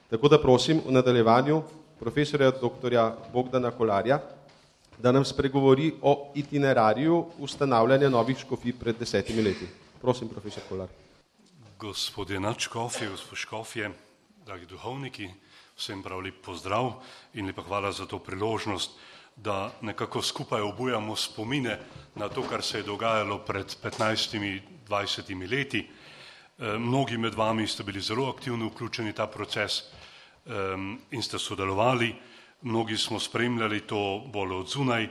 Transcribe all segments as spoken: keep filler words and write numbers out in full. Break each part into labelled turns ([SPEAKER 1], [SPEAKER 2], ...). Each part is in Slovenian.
[SPEAKER 1] Tako da prosim v nadaljevanju profesorja doktorja Bogdana Kolarja, da nam spregovori o itinerariju ustanavljanja novih škofij pred desetimi leti. Prosim, profesor Kolar.
[SPEAKER 2] Gospodje nadškofje, gospod škofje, dragi duhovniki, vsem prav lep pozdrav in lepa hvala za to priložnost, da nekako skupaj obujamo spomine na to, kar se je dogajalo pred petnajstimi, dvajsetimi leti. Mnogi med vami ste bili zelo aktivno vključeni v ta proces in ste sodelovali. Mnogi smo spremljali to bolj od zunaj,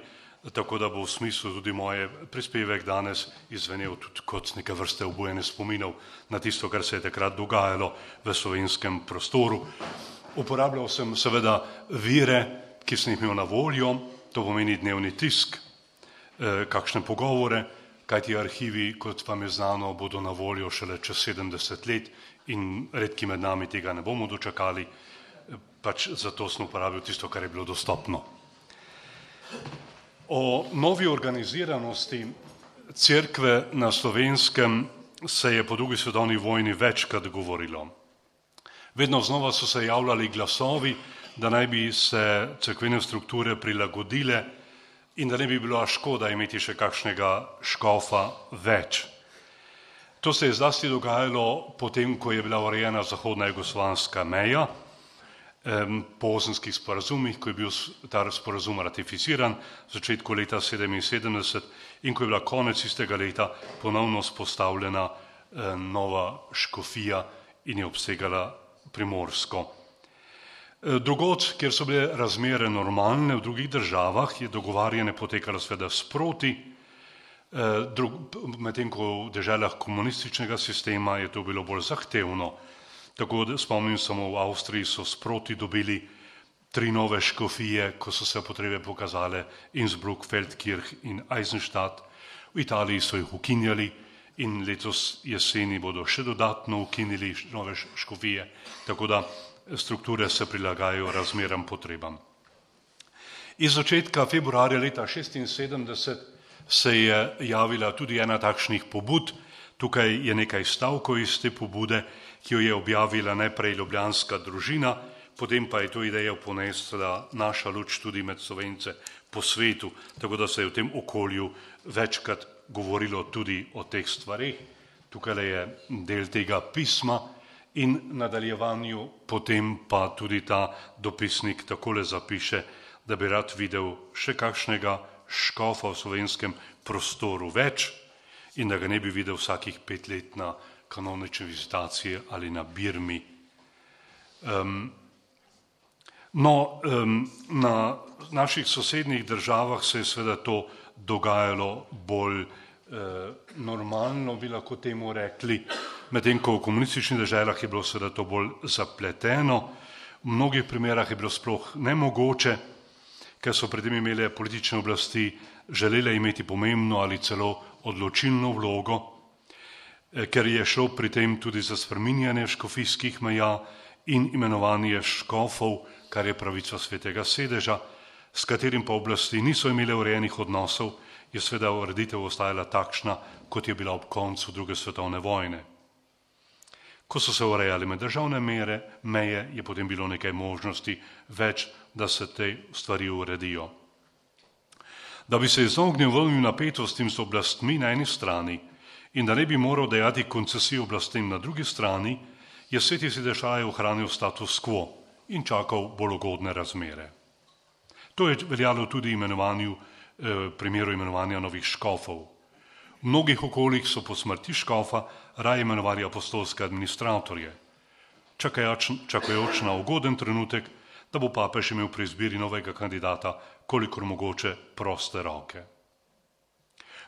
[SPEAKER 2] tako da bo v smislu tudi moje prispevek danes izvenel tudi kot neke vrste obujene spominov na tisto, kar se je takrat dogajalo v slovenskem prostoru. Uporabljal sem seveda vire, ki sem jih imel na voljo, to pomeni dnevni tisk, kakšne pogovore, kajti arhivi, kot vam je znano, bodo na voljo šele čez sedemdeset let in redki med nami tega ne bomo dočakali, pač zato sem uporabil tisto, kar je bilo dostopno. O novi organiziranosti cerkve na Slovenskem se je po drugi svetovni vojni večkrat govorilo. Vedno znova so se javljali glasovi, da naj bi se cerkvene strukture prilagodile in da ne bi bila škoda imeti še kakšnega škofa več. To se je zlasti dogajalo potem, ko je bila urejena zahodna jugoslovanska meja, po osemskih sporazumih, ko je bil ta sporazum ratificiran v začetku leta sedeminsedemdeset in ko je bila konec istega leta ponovno spostavljena nova škofija in je obsegala Primorsko. Drugod, kjer so bile razmere normalne v drugih državah, je dogovarjanje potekalo seveda sproti, medtem ko v deželah komunističnega sistema je to bilo bolj zahtevno. Tako da spomnim samo, v Avstriji so sproti dobili tri nove škofije, ko so se potrebe pokazale, Innsbruck, Feldkirch in Eisenstadt. V Italiji so jih ukinjali in letos jeseni bodo še dodatno ukinili nove škofije, tako da strukture se prilagajajo razmeram potrebam. Iz začetka februarja leta šestinsedemdeset se je javila tudi ena takšnih pobud. Tukaj je nekaj stavkov iz te pobude, ki jo je objavila najprej ljubljanska družina, potem pa je to idejo ponesla naša luč tudi med Slovence po svetu, tako da se je v tem okolju večkrat govorilo tudi o teh stvareh. Tukaj je del tega pisma in nadaljevanju potem pa tudi ta dopisnik takole zapiše, da bi rad videl še kakšnega škofa v slovenskem prostoru več in da ga ne bi videl vsakih pet let na kanonične vizitacije ali na Birmi. Um, no, um, na naših sosednjih državah se je seveda to dogajalo bolj eh, normalno, bi lahko temu rekli, medtem ko v komunističnih državah je bilo seveda to bolj zapleteno. V mnogih primerah je bilo sploh nemogoče, ker so pred tem imele politične oblasti želele imeti pomembno ali celo odločilno vlogo, ker je šlo pri tem tudi za spreminjanje škofijskih meja in imenovanje škofov, kar je pravica svetega sedeža, s katerim pa oblasti niso imele urejenih odnosov, je seveda ureditev ostajala takšna, kot je bila ob koncu druge svetovne vojne. Ko so se urejali med državne mere, meje, je potem bilo nekaj možnosti več, da se te stvari uredijo. Da bi se izognil volnim napetostim z oblastmi na eni strani in da ne bi moral dajati koncesij oblastem na drugi strani, je sveti sedež raje ohranil status quo in čakal bolj ugodne razmere. To je veljalo tudi imenovanju, eh, primeru imenovanja novih škofov. V mnogih okoljih so po smrti škofa raje imenovali apostolske administratorje, čakajoč, čakajoč na ugoden trenutek, da bo papež imel pri izbiri novega kandidata kolikor mogoče proste roke.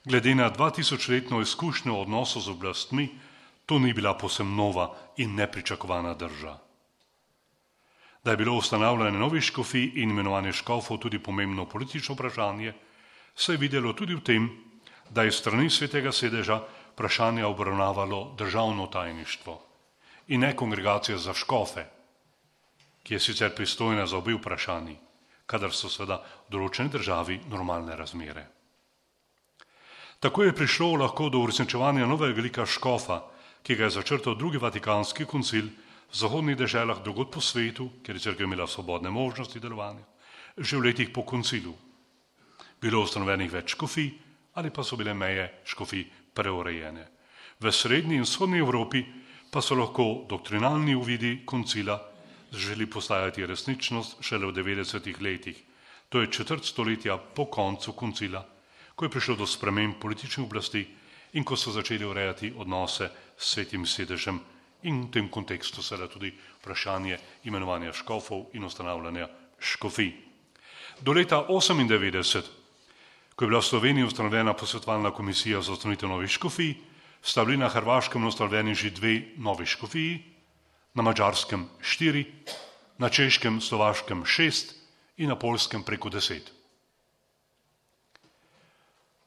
[SPEAKER 2] Glede na dvatisočletno izkušnjo v odnosu z oblastmi, to ni bila povsem nova in nepričakovana drža. Da je bilo ustanavljanje novih škofij in imenovanje škofov tudi pomembno politično vprašanje, se je videlo tudi v tem, da je strani svetega sedeža vprašanje obravnavalo državno tajništvo in ne kongregacija za škofe, ki je sicer pristojna za obe vprašanji, kadar so seveda v določeni državi normalne razmere. Tako je prišlo lahko do uresničevanja novega lika škofa, ki ga je začrtal drugi vatikanski koncil v zahodnih deželah drugod po svetu, kjer je cerkev imela svobodne možnosti delovanja, že v letih po koncilu. Bilo ustanovenih več škofij ali pa so bile meje škofij preurejene. V srednji in vzhodni Evropi pa so lahko doktrinalni uvidi koncila želi postajati resničnost šele v devetdesetih letih. To je četrt stoletja po koncu koncila, ko je prišlo do sprememb političnih oblasti in ko so začeli urejati odnose s svetim sedežem in v tem kontekstu seveda tudi vprašanje imenovanja škofov in ustanavljanja škofij. Do leta osemindevetdeset, ko je bila v Sloveniji ustanovljena posvetovalna komisija za ustanovitev novih škofij, sta bili na Hrvaškem ustanovljeni že dve novi škofiji, na Madžarskem štiri, na Češkem, Slovaškem šest in na Poljskem preko deset.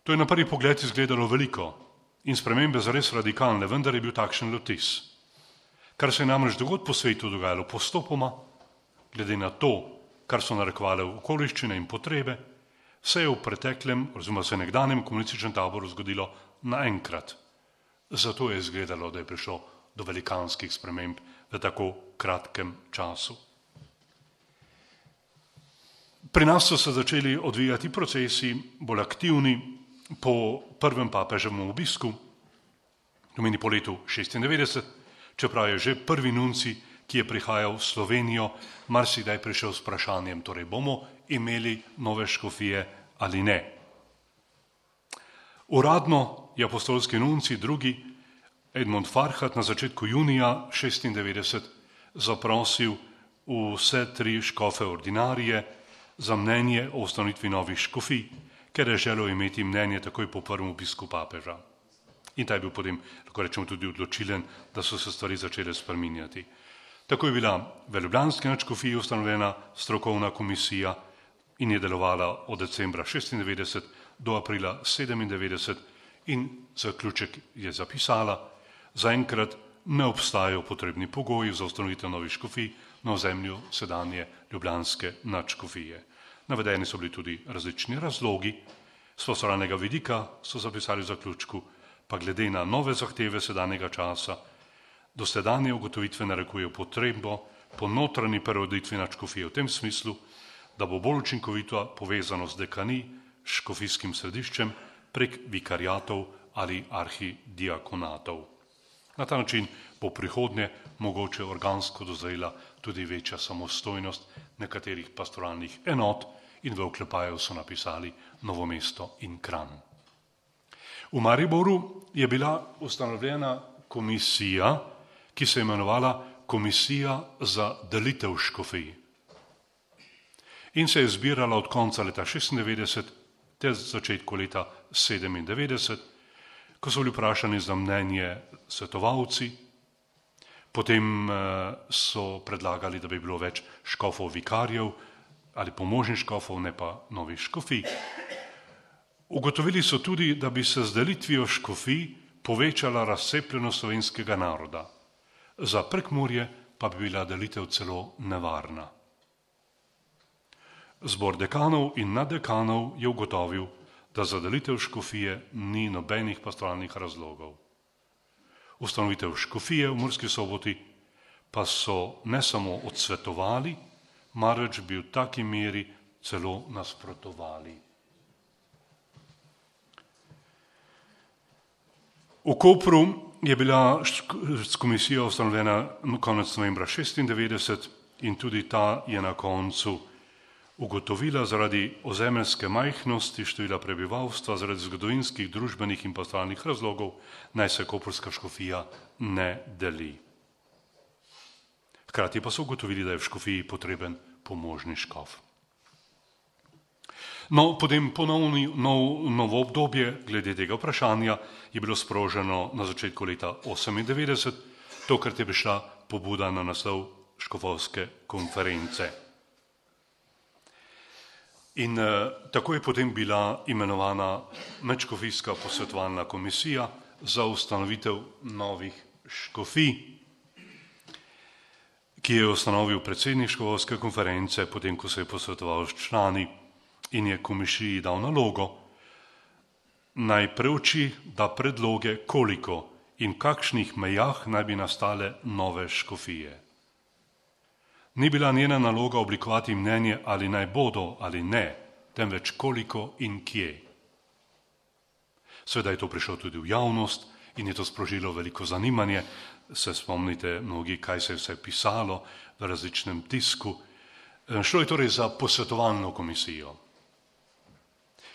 [SPEAKER 2] To je na prvi pogled izgledalo veliko in spremembe zares radikalne, vendar je bil takšen vtis. Kar se je namreč drugod po svetu dogajalo postopoma, glede na to, kar so narekovale okoliščine in potrebe, se je v preteklem, oziroma se nekdanjem komunističnem taboru zgodilo naenkrat. Zato je izgledalo, da je prišlo do velikanskih sprememb v tako kratkem času. Pri nas so se začeli odvijati procesi bolj aktivni po prvem papeževem obisku, pomeni po letu šestindevetdeset, čeprav je že prvi nunci, ki je prihajal v Slovenijo, marsikdaj prišel s vprašanjem, torej bomo imeli nove škofije ali ne. Uradno je apostolski nunci drugi Edmund Farhat na začetku junija šestindevetdeset zaprosil vse tri škofe ordinarije za mnenje o ustanovitvi novih škofij, ker je želel imeti mnenje takoj po prvem obisku papeža. In ta je bil potem, lahko rečemo, tudi odločilen, da so se stvari začele spreminjati. Tako je bila v ljubljanski nadškofiji ustanovljena strokovna komisija in je delovala od decembra šestindevetdeset do aprila sedemindevetdeset in zaključek je zapisala: zaenkrat ne obstajajo potrebni pogoji za ustanovitev novih škofij na ozemlju sedanje ljubljanske nadškofije. Navedeni so bili tudi različni razlogi, s poslovnega vidika so zapisali v zaključku, pa glede na nove zahteve sedanjega časa, dosedanje ugotovitve narekujejo potrebo po notranji preureditvi nadškofije v tem smislu, da bo bolj učinkovito povezano z dekani, škofijskim središčem, prek vikariatov ali arhidiakonatov. Na ta način bo prihodnje mogoče organsko dozrela tudi večja samostojnost nekaterih pastoralnih enot in v oklepaju so napisali Novo mesto in Kranj. V Mariboru je bila ustanovljena komisija, ki se je imenovala Komisija za delitev škofij. In se je zbirala od konca leta šestindevetdeset ter začetku leta sedemindevetdeset, ko so bili vprašani za mnenje svetovalci, potem so predlagali, da bi bilo več škofov vikarjev ali pomožnih škofov, ne pa novih škofij. Ugotovili so tudi, da bi se z delitvijo škofij povečala razcepljenost slovenskega naroda. Za Prekmurje pa bi bila delitev celo nevarna. Zbor dekanov in naddekanov je ugotovil, da za delitev škofije ni nobenih pastoralnih razlogov. Ustanovitev škofije v Murski Soboti pa so ne samo odsvetovali, marveč bi v taki meri celo nasprotovali. V Kopru je bila komisija ustanovljena konec novembra šestindevetdeset in tudi ta je na koncu ugotovila zaradi ozemeljske majhnosti števila prebivalstva, zaradi zgodovinskih, družbenih in pastoralnih razlogov, naj se koprska škofija ne deli. Hkrati pa so ugotovili, da je v škofiji potreben pomožni škof. No, potem ponovni nov, novo obdobje glede tega vprašanja je bilo sproženo na začetku leta osemindevetdeset, tokrat je prišla pobuda na naslov škofovske konference. In eh, tako je potem bila imenovana medškofijska posvetovalna komisija za ustanovitev novih škofij, ki je ustanovil predsednik škofovske konference, potem ko se je posvetoval s člani in je komisiji dal nalogo, naj preuči, da predloge koliko in v kakšnih mejah naj bi nastale nove škofije. Ni bila njena naloga oblikovati mnenje, ali naj bodo ali ne, temveč koliko in kje. Seveda je to prišlo tudi v javnost in je to sprožilo veliko zanimanje. Se spomnite mnogi, kaj se je vse pisalo v različnem tisku. Šlo je torej za posvetovalno komisijo,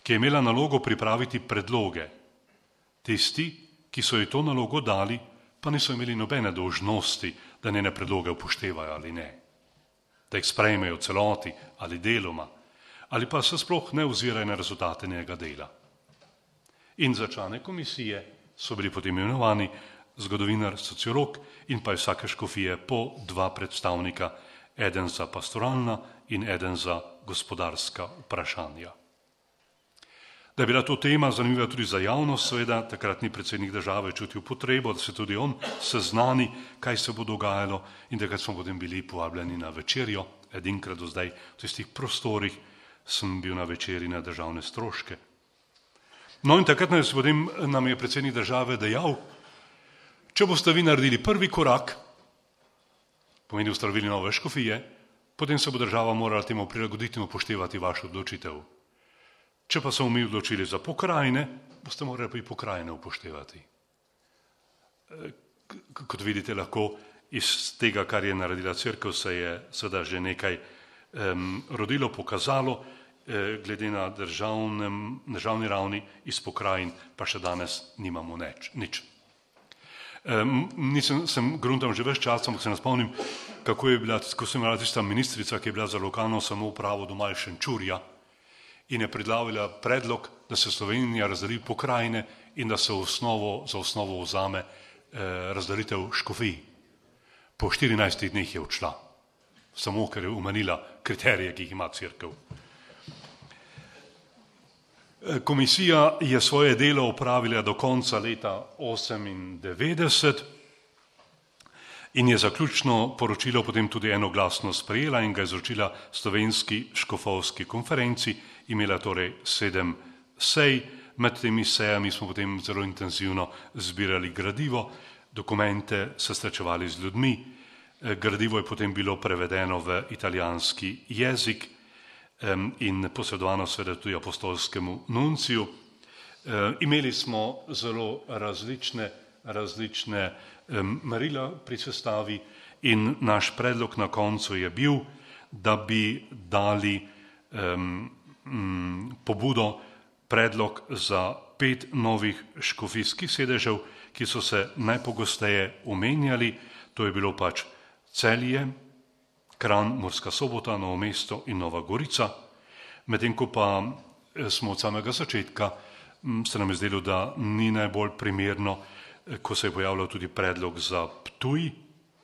[SPEAKER 2] ki je imela nalogo pripraviti predloge. Tisti, ki so ji to nalogo dali, pa niso imeli nobene dolžnosti, da njene predloge upoštevajo ali ne, da jih sprejmejo celoti ali deloma, ali pa se sploh ne ozirajo na rezultate njenega dela. In za člane komisije so bili potem imenovani zgodovinar, sociolog in pa vsake škofije po dva predstavnika, eden za pastoralna in eden za gospodarska vprašanja. Da je bila to tema zanimiva tudi za javnost, seveda takratni predsednik države čutil potrebo, da se tudi on seznani, kaj se bo dogajalo, in takrat smo potem bili povabljeni na večerjo. Edinkrat do zdaj v tistih prostorih sem bil na večeri na državne stroške. No in takrat nas potem nam je predsednik države dejal, če boste vi naredili prvi korak, pomeni ustanovili nove škofije, potem se bo država morala temu prilagoditi in upoštevati vašo odločitev. Če pa smo mi odločili za pokrajine, boste morali pa i pokrajine upoštevati. Kot vidite, lahko iz tega, kar je naredila cerkev, se je seveda že nekaj um, rodilo, pokazalo, eh, glede na državnem, državni ravni iz pokrajin, pa še danes nimamo neč, nič. Um, nisem, sem gruntam že več čas, ampak se ne spomnim, kako je bila, ko sem imela tista ministrica, ki je bila za lokalno samoupravo doma iz Šenčurja, in je predlavila predlog, da se Slovenija razdeli pokrajine in da se v osnovo, za osnovo vzame eh, razdelitev škofij. Po štirinajstih dneh je odšla, samo ker je umanila kriterije, ki jih ima cerkev. Komisija je svoje delo opravila do konca leta osemindevetdeset in je zaključno poročilo potem tudi enoglasno sprejela in ga izročila Slovenski škofovski konferenci. Imela torej sedem sej, med temi sejami smo potem zelo intenzivno zbirali gradivo, dokumente se srečevali z ljudmi, gradivo je potem bilo prevedeno v italijanski jezik in posredovano seveda tudi apostolskemu nunciju. Imeli smo zelo različne, različne merila pri sestavi in naš predlog na koncu je bil, da bi dali um, pobudo, predlog za pet novih škofijskih sedežev, ki so se najpogosteje omenjali. To je bilo pač Celje, Kranj, Murska Sobota, Novo mesto in Nova Gorica. Medtem ko pa smo od samega začetka, se nam je zdelo, da ni najbolj primerno, ko se je pojavljal tudi predlog za Ptuj,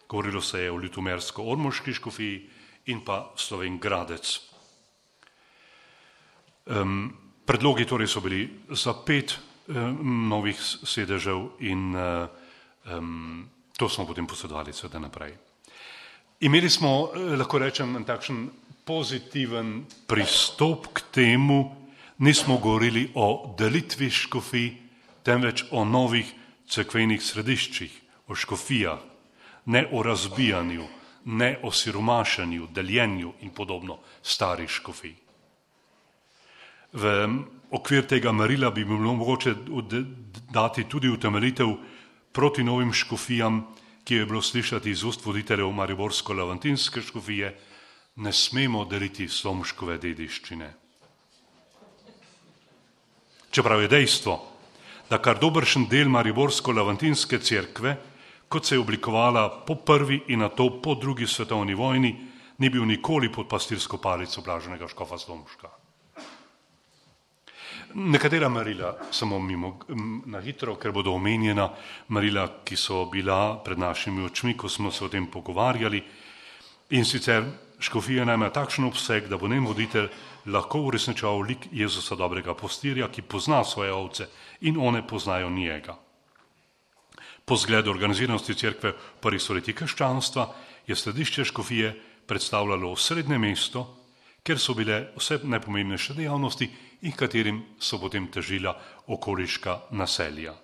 [SPEAKER 2] govorilo se je o Ljutomersko-ormoški škofiji in pa Slovenj Gradec. Um, predlogi torej so bili za pet um, novih sedežev in uh, um, to smo potem posredovali seveda naprej. Imeli smo, lahko rečem, takšen pozitiven pristop k temu, nismo govorili o delitvi škofij, temveč o novih cerkvenih središčih, o škofijah, ne o razbijanju, ne o siromašenju, deljenju in podobno starih škofij. V okvir tega merila bi bilo mogoče dati tudi utemeljitev proti novim škofijam, ki je bilo slišati iz ust voditeljev mariborsko-lavantinske škofije, ne smemo deliti Slomškove dediščine. Čeprav je dejstvo, da kar dobršen del mariborsko-lavantinske cerkve, kot se je oblikovala po prvi in nato po drugi svetovni vojni, ni bil nikoli pod pastirsko palico blaženega škofa Slomška. Nekatera merila, samo mimo na hitro, ker bodo omenjena merila, ki so bila pred našimi očmi, ko smo se o tem pogovarjali. In sicer škofija naj ima takšen obseg, da bo njen voditelj lahko uresničeval lik Jezusa dobrega pastirja, ki pozna svoje ovce in one poznajo njega. Po zgledu organiziranosti cerkve v prvih stoletjih krščanstva je središče škofije predstavljalo osrednje mesto, ker so bile vse najpomembnejše dejavnosti in katerim so potem težila okoliška naselja.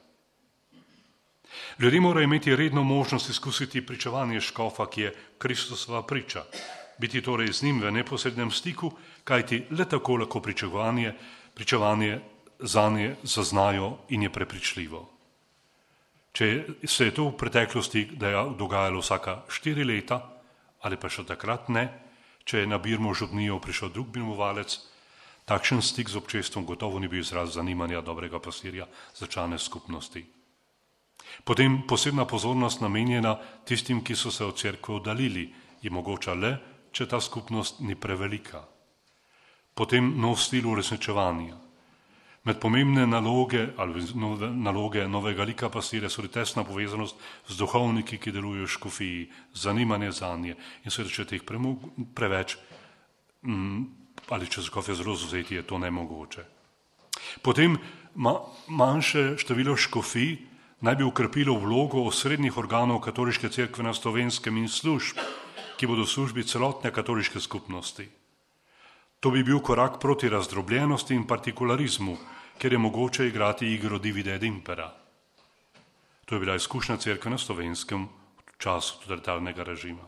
[SPEAKER 2] Ljudje morajo imeti redno možnost izkusiti pričevanje škofa, ki je Kristusova priča, biti torej z njim v neposrednem stiku, kajti le tako lahko pričevanje, pričevanje zanje zaznajo in je prepričljivo. Če se je to v preteklosti dogajalo vsaka štiri leta, ali pa še takrat ne, če je na Birmo župnijo prišel drug birmovalec, takšen stik z občestvom gotovo ni bil izraz zanimanja dobrega pastirja za člane skupnosti. Potem posebna pozornost namenjena tistim, ki so se od cerkve oddaljili, je mogoča le, če ta skupnost ni prevelika. Potem nov stil uresničevanja. Med pomembne naloge ali nove, naloge novega lika pastirja so tesna povezanost z duhovniki, ki delujejo v škofiji, zanimanje zanje in seveda, če teh preveč mm, ali če škofje zelo vzeti, je to nemogoče. Potem ma, manjše število škofij naj bi ukrepilo vlogo osrednjih organov katoliške cerkve na Slovenskem in služb, ki bodo v službi celotne katoliške skupnosti. To bi bil korak proti razdrobljenosti in partikularizmu, ker je mogoče igrati igro divide et impera. To je bila izkušnja cerkve na Slovenskem v času totalitarnega režima.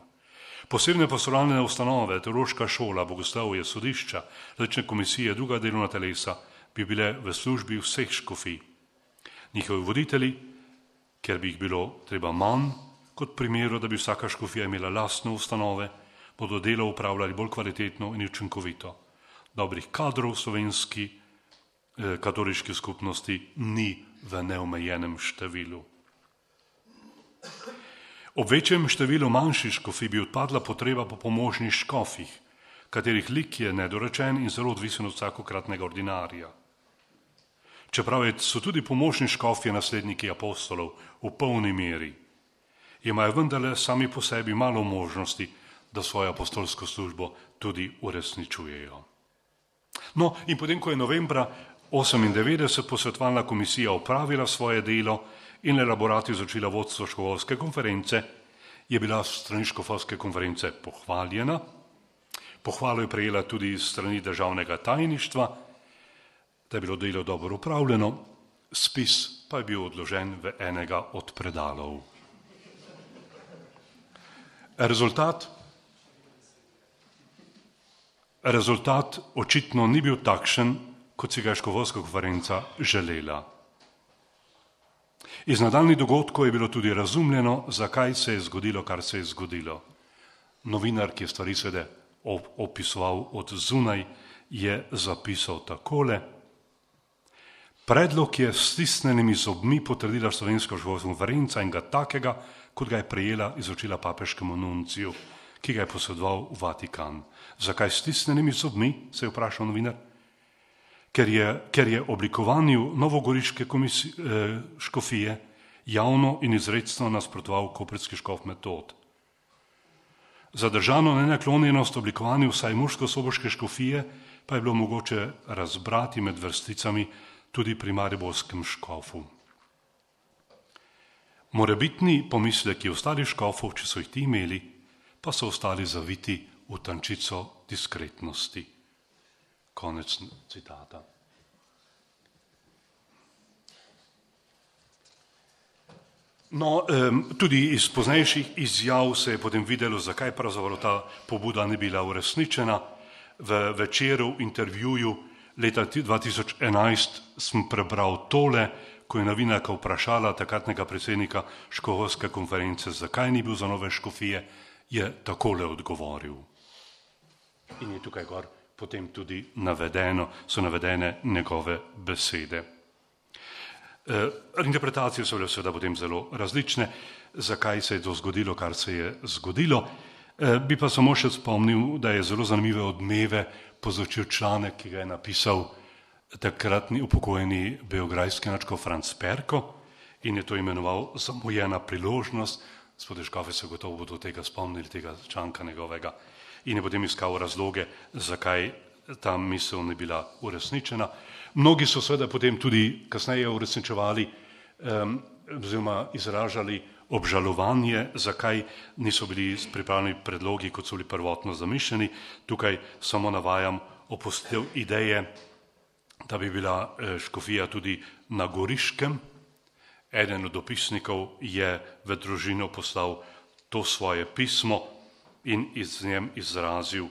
[SPEAKER 2] Posebne pastoralne ustanove, teološka šola, bogoslovje, sodišča, različne komisije, druga delovna telesa bi bile v službi vseh škofij. Njihovi voditelji, ker bi jih bilo treba manj, kot primeru, da bi vsaka škofija imela lastne ustanove, bodo delo upravljali bolj kvalitetno in učinkovito. Dobrih kadrov v slovenski eh, katoliški skupnosti ni v neomejenem številu. Ob večjem številu manjših škofij bi odpadla potreba po pomožnih škofih, katerih lik je nedorečen in zelo odvisen od vsakokratnega ordinarija. Čeprav so tudi pomožni škofje nasledniki apostolov v polni meri, imajo vendarle sami po sebi malo možnosti, da svojo apostolsko službo tudi uresničujejo. No, in potem, ko je novembra osemindevetdeset posvetovalna komisija opravila svoje delo in elaborat izučila vodstvo škofovske konference, je bila strani škofovske konference pohvaljena. Pohvalo je prejela tudi strani državnega tajništva, da je bilo delo dobro upravljeno, spis pa je bil odložen v enega od predalov. Rezultat, rezultat očitno ni bil takšen, kot si ga je škofovska konferenca želela. Iz nadaljnjih dogodkov je bilo tudi razumljeno, zakaj se je zgodilo, kar se je zgodilo. Novinar, ki je stvari seveda opisoval od zunaj, je zapisal takole: predlog je s stisnjenimi zobmi potrdila slovenska škofovska konferenca in ga takega, kot ga je prejela, izučila papeškemu nunciju, ki ga je posredoval v Vatikan. Zakaj s stisnjenimi zobmi, se je vprašal novinar? Ker je, ker je oblikovanju novogoriške komisije, eh, škofije javno in izrecno nasprotoval koprski škof Metod. Zadržano nenaklonjenost oblikovanju vsaj mursko-soboške škofije pa je bilo mogoče razbrati med vrsticami tudi pri mariborskem škofu. Morebitni pomisleki ostalih škofov, če so jih ti imeli, pa so ostali zaviti v tančico diskretnosti. Konec citata. No, tudi iz poznejših izjav se je potem videlo, zakaj pravzaprav ta pobuda ni bila uresničena. V Večeru intervjuju leta dva tisoč enajst sem prebral tole, ko je novinarka vprašala takratnega predsednika škofovske konference, zakaj ni bil za nove škofije, je takole odgovoril. In je tukaj gor potem tudi navedeno, so navedene njegove besede. E, interpretacije so bile seveda potem zelo različne, zakaj se je to zgodilo, kar se je zgodilo. E, bi pa samo še spomnil, da je zelo zanimive odmeve povzročil članek, ki ga je napisal takratni upokojeni beograjski nadškof Franc Perko in je to imenoval Zamujena priložnost. Gospodje škofe se gotovo bodo tega spomnili, tega članka njegovega. In je potem iskal razloge, zakaj ta misel ni bila uresničena. Mnogi so seveda potem tudi kasneje uresničevali um, oziroma izražali obžalovanje, zakaj niso bili pripravljeni predlogi, kot so bili prvotno zamišljeni. Tukaj samo navajam opustitev ideje, da bi bila škofija tudi na Goriškem. Eden od dopisnikov je v družino poslal to svoje pismo in iz njem izrazil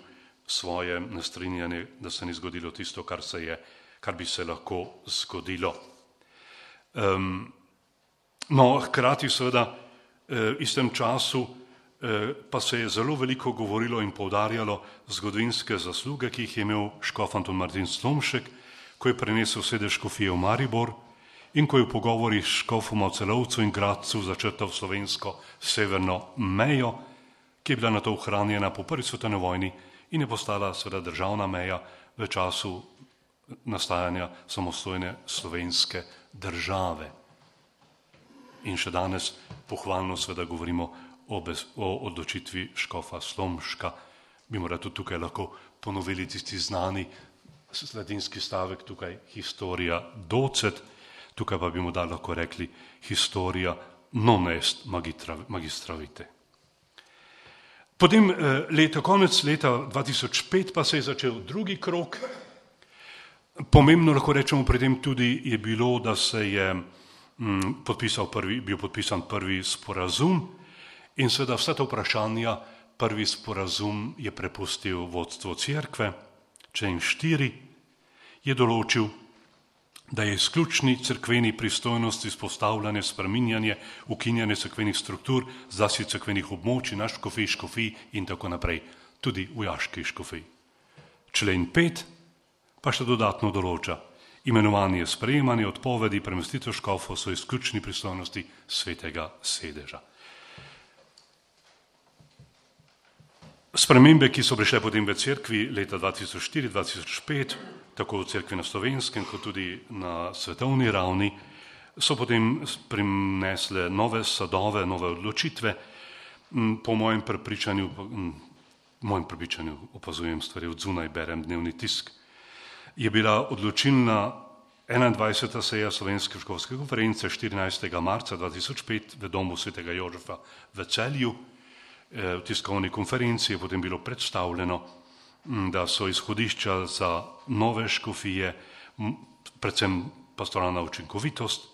[SPEAKER 2] svoje nestrinjanje, da se ni zgodilo tisto, kar se je, kar bi se lahko zgodilo. Um, no, hkrati seveda v istem času pa se je zelo veliko govorilo in poudarjalo zgodovinske zasluge, ki jih je imel škof Anton Martin Slomšek, ko je prenesel sedež škofije v Maribor in ko je v pogovorih s škofoma v Celovcu in Gradcu začrtal slovensko severno mejo, ki je bila nato ohranjena po prvi svetovni vojni in je postala seveda državna meja v času nastajanja samostojne slovenske države. In še danes pohvalno seveda govorimo o, bez, o odločitvi škofa Slomška. Bi morda tudi tukaj lahko ponovili tisti znani latinski stavek tukaj historia docet, tukaj pa bi mu da lahko rekli historia non est magistra vitae. Potem leta, konec leta dva tisoč pet pa se je začel drugi krog. Pomembno lahko rečemo pri tem tudi je bilo, da se je m, podpisal prvi, bil podpisan prvi sporazum in seveda vsa ta vprašanja prvi sporazum je prepustil vodstvo cerkve, člen štiri je določil, da je izključni cerkveni pristojnosti izpostavljanje, spreminjanje, ukinjanje cerkvenih struktur, zlasti cerkvenih območij, naš škofij, škofij in tako naprej, tudi vojaški škofij. Člen pet pa še dodatno določa, imenovanje, sprejemanje, odpovedi, premestitev škofov so izključni pristojnosti svetega sedeža. Spremembe, ki so prišle potem v cerkvi leta dva tisoč štiri do dva tisoč pet, tako v cerkvi na slovenskem, kot tudi na svetovni ravni, so potem prinesle nove sadove, nove odločitve. Po mojem prepričanju, po mojem prepričanju opazujem stvari od zunaj, berem dnevni tisk, je bila odločilna enaindvajseta seja Slovenske škofske konference štirinajstega marca dva tisoč pet v domu svetega Jožefa v Celju. V tiskovni konferenci je potem bilo predstavljeno, da so izhodišča za nove škofije, predvsem pastoralna učinkovitost,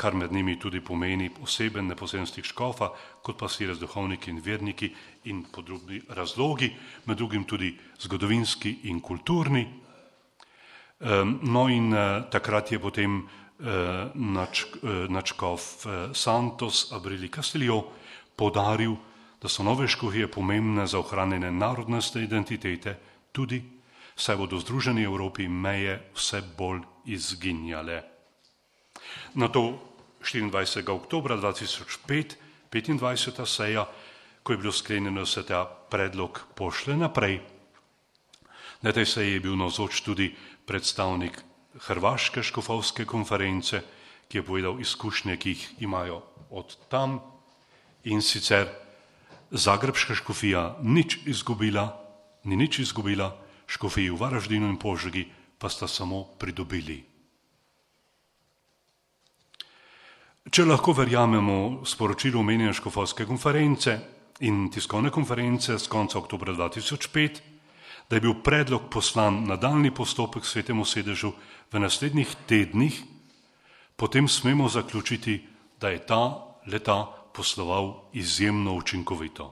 [SPEAKER 2] kar med njimi tudi pomeni poseben neposreden stik škofa, kot pa si duhovniki in verniki in podrobni razlogi, med drugim tudi zgodovinski in kulturni. No in takrat je potem nadškof Santos Abrili Castillo poudaril, da so nove škofije pomembne za ohranjanje narodnostne identitete, tudi saj bodo v združeni Evropi meje vse bolj izginjale. Nato štiriindvajsetega oktobra dva tisoč pet, petindvajseta seja, ko je bilo sklenjeno, da se ta predlog pošle naprej. Na tej seji je bil navzoč tudi predstavnik Hrvaške škofovske konference, ki je povedal izkušnje, ki jih imajo od tam, in sicer Zagrebška škofija nič izgubila, ni nič izgubila, škofiji v Varaždinu in Požegi pa sta samo pridobili. Če lahko verjamemo sporočilu omenjene škofovske konference in tiskovne konference z konca oktobra dva tisoč pet, da je bil predlog poslan nadaljnji postopek svetemu sedežu v naslednjih tednih, potem smemo zaključiti, da je ta leta posloval izjemno učinkovito.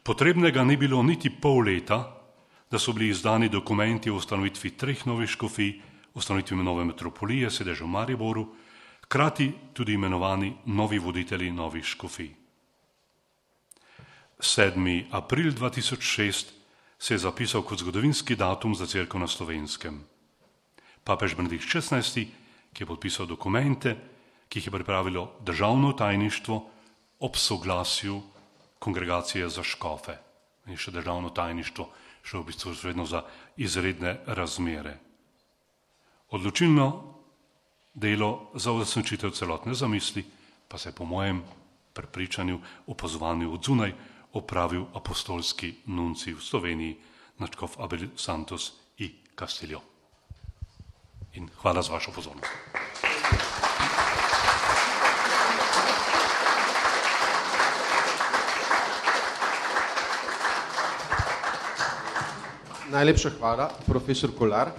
[SPEAKER 2] Potrebnega ni bilo niti pol leta, da so bili izdani dokumenti o ustanovitvi treh novih škofij, ustanovitvi nove metropolije, sedeža v Mariboru, hkrati tudi imenovani novi voditelji novih škofij. sedmi april dva tisoč šest se je zapisal kot zgodovinski datum za cerkev na Slovenskem. Papež Benedikt šestnajsti, ki je podpisal dokumente, ki jih je pripravilo državno tajništvo ob soglasju kongregacije za škofe. In še državno tajništvo, še v bistvu vedno za izredne razmere. Odločilno delo za uresničitev celotne zamisli pa se je po mojem prepričanju, opazovanju od zunaj, opravil apostolski nuncij v Sloveniji, nadškof Abel Santos i Castillo. In hvala za vašo pozornost.
[SPEAKER 1] Najlepša hvala, profesor Kolar.